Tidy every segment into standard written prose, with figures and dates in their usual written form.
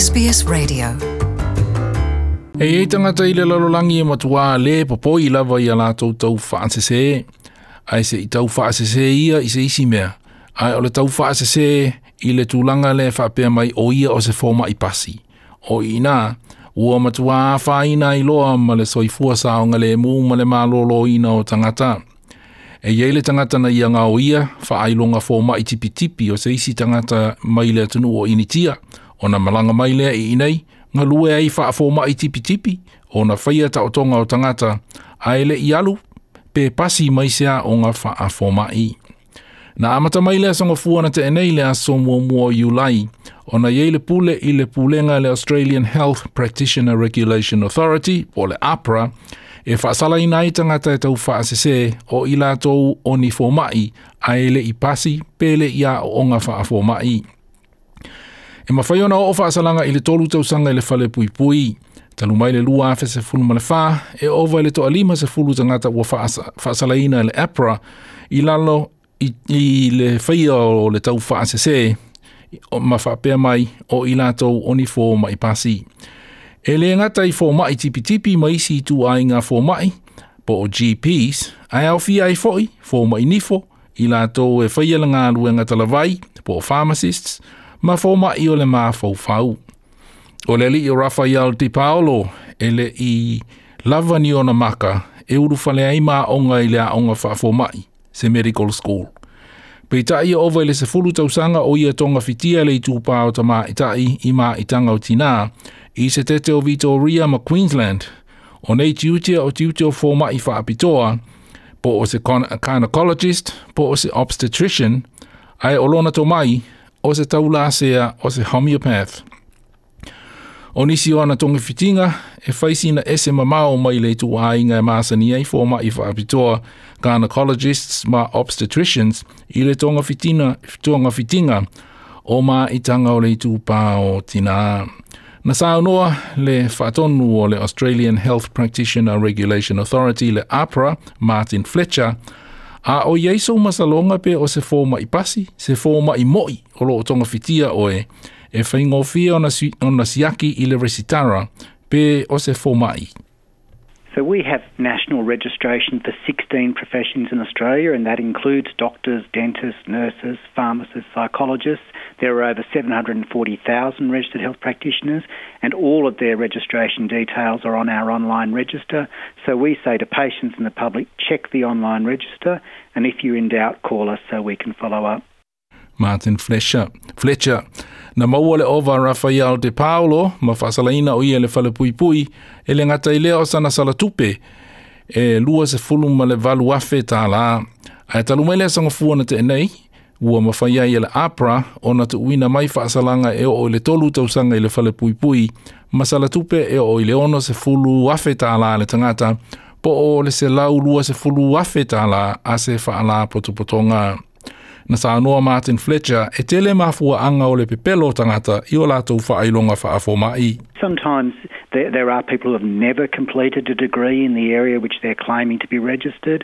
SBS Radio. E i ai tagata i le lalolagi e matuā lē popoi lava i a latou tau faasesē, ae se i tau faasesē ia i se isi mea, ae o le tau faasesē i le tulaga lea e faapea mai o ia o se fomaʻi pasi. O i inā, ua matuā afaina ai loa ma le soifua saogalēmū ma le malōlōina o tagata. E i ai le tagata na ia gaoia faailoga fomaʻi tipitipi o se isi tagata mai le atunuu o Initia, ona malaga mai lea i inei, galue ai faafomaʻi tipitipi, ona faia taotoga o tagata, ae le i alu pe pasi mai se aoga faafomaʻi. Na amata mai le aso Gafua na tea nei le aso muamua o Iulai, ona i ai le pule i le pulega a le Australian Health Practitioner Regulation Authority, po o le AHPRA, e faasalaina ai tagata e tau faasesē o i latou o ni fomaʻi ae le i pasi pe le i aooga faafomaʻi. E mafai ona oo faasalaga i le 3 tausaga i le fale puipui. Talu mai le 2014, e ova i le toalima sefulu tagata ua faasalaina e le AHPRA i lalo i le faia o le tau faasesē ma faapea mai o i latou o ni fomaʻi pasi. E lē gata i fomaʻi tipitipi ma isi ituaiga fomaʻi po o GPs, ae aofia ai foʻi fomaʻi nifo, i latou e faia le galuega talavai po o pharmacists, ma fomaʻi o le mafaufau. O le alii o Rafael Di Paolo e le i lava ni ona maka e ulufale ai ma aoga i le aoga faafomaʻi, se medical school. Peitai e ova i le 10 tausaga o ia togafitia le itupā o tamaʻitaʻi i maʻitaga o tinā i se tete o Vitoria ma Queensland. O nei tiute o tiute o fomaʻi faapitoa, po o se gynecologist, po o se obstetrician, ae o lona tomai, o se taulasea o se homeopath. O nisi o ana togafitiga e fai sina ese mamao mai le ituaiga e masani ai fomaʻi faapitoa, gynecologists ma obstetricians i le togafitiga o maʻitaga o le itupā o tinā. Na saunoa le faatonu o le Australian Health Practitioner Regulation Authority le AHPRA, Martin Fletcher, a o i ai sou masaloga pe o se fomaʻi pasi, se fomaʻi moʻi o loo togafitia oe, e faigofie ona siaki i le resitara pe o se fomaʻi. So we have national registration for 16 professions in Australia, and that includes doctors, dentists, nurses, pharmacists, psychologists. There are over 740,000 registered health practitioners, and all of their registration details are on our online register. So we say to patients and the public, check the online register, and if you're in doubt, call us so we can follow up. Martin Fletcher. Na maua le ova Rafael De Paolo ma faasalaina o ia le fale puipui e le gata i lea o sana sala tupe e 28,000 tālā. Ae talu mai le aso Gafua na tea nei, ua mafai ai e le AHPRA ona tuuina mai faasalaga e oo i le 3 tausaga i le fale puipui ma sala tupe e oo i le 60,000 tālā le tagata po o le 120,000 tālā a se faalapotopotoga. Na saunoa Martin Fletcher e tele mafuaʻaga o le pepelo o tagata i o latou faailoga faafomaʻi. Sometimes there are people who have never completed a degree in the area which they're claiming to be registered.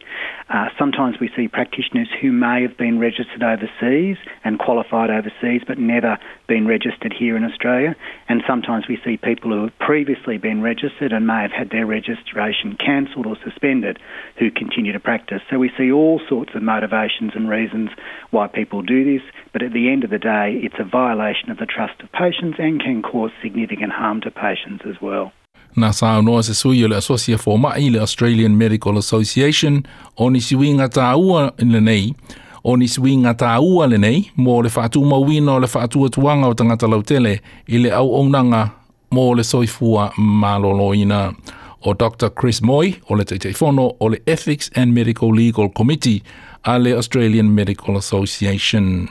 Sometimes we see practitioners who may have been registered overseas and qualified overseas but never been registered here in Australia. And sometimes we see people who have previously been registered and may have had their registration cancelled or suspended who continue to practice. So we see all sorts of motivations and reasons why people do this, but at the end of the day, it's a violation of the trust of patients and can cause significant harm to patients as well. Na saunoa se sui o le Asosi a Fomaʻi le Australian Medical Association o nisi uiga tāua lenei, o nisi uiga tāua lenei mo le faatumauina o le faatuatuaga o tagata lautele i le auaunaga mo le soifua malōlōina. O Dr. Chris Moy o le Taitaifono o le Ethics and Medical Legal Committee a le Australian Medical Association.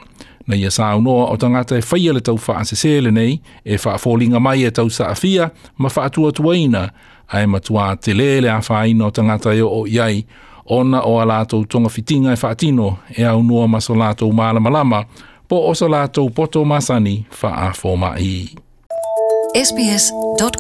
Na ia saunoa o tagata e faia le tau faasesē lenei e faafoliga mai e tau saafia ma faatuatuaina, ae matuā telē le afaina o tagata e oo i ai ona o a latou togafitiga e faatino e aunoa ma so latou malamalama po o so latou poto masani faafomaʻi. sbs.com.au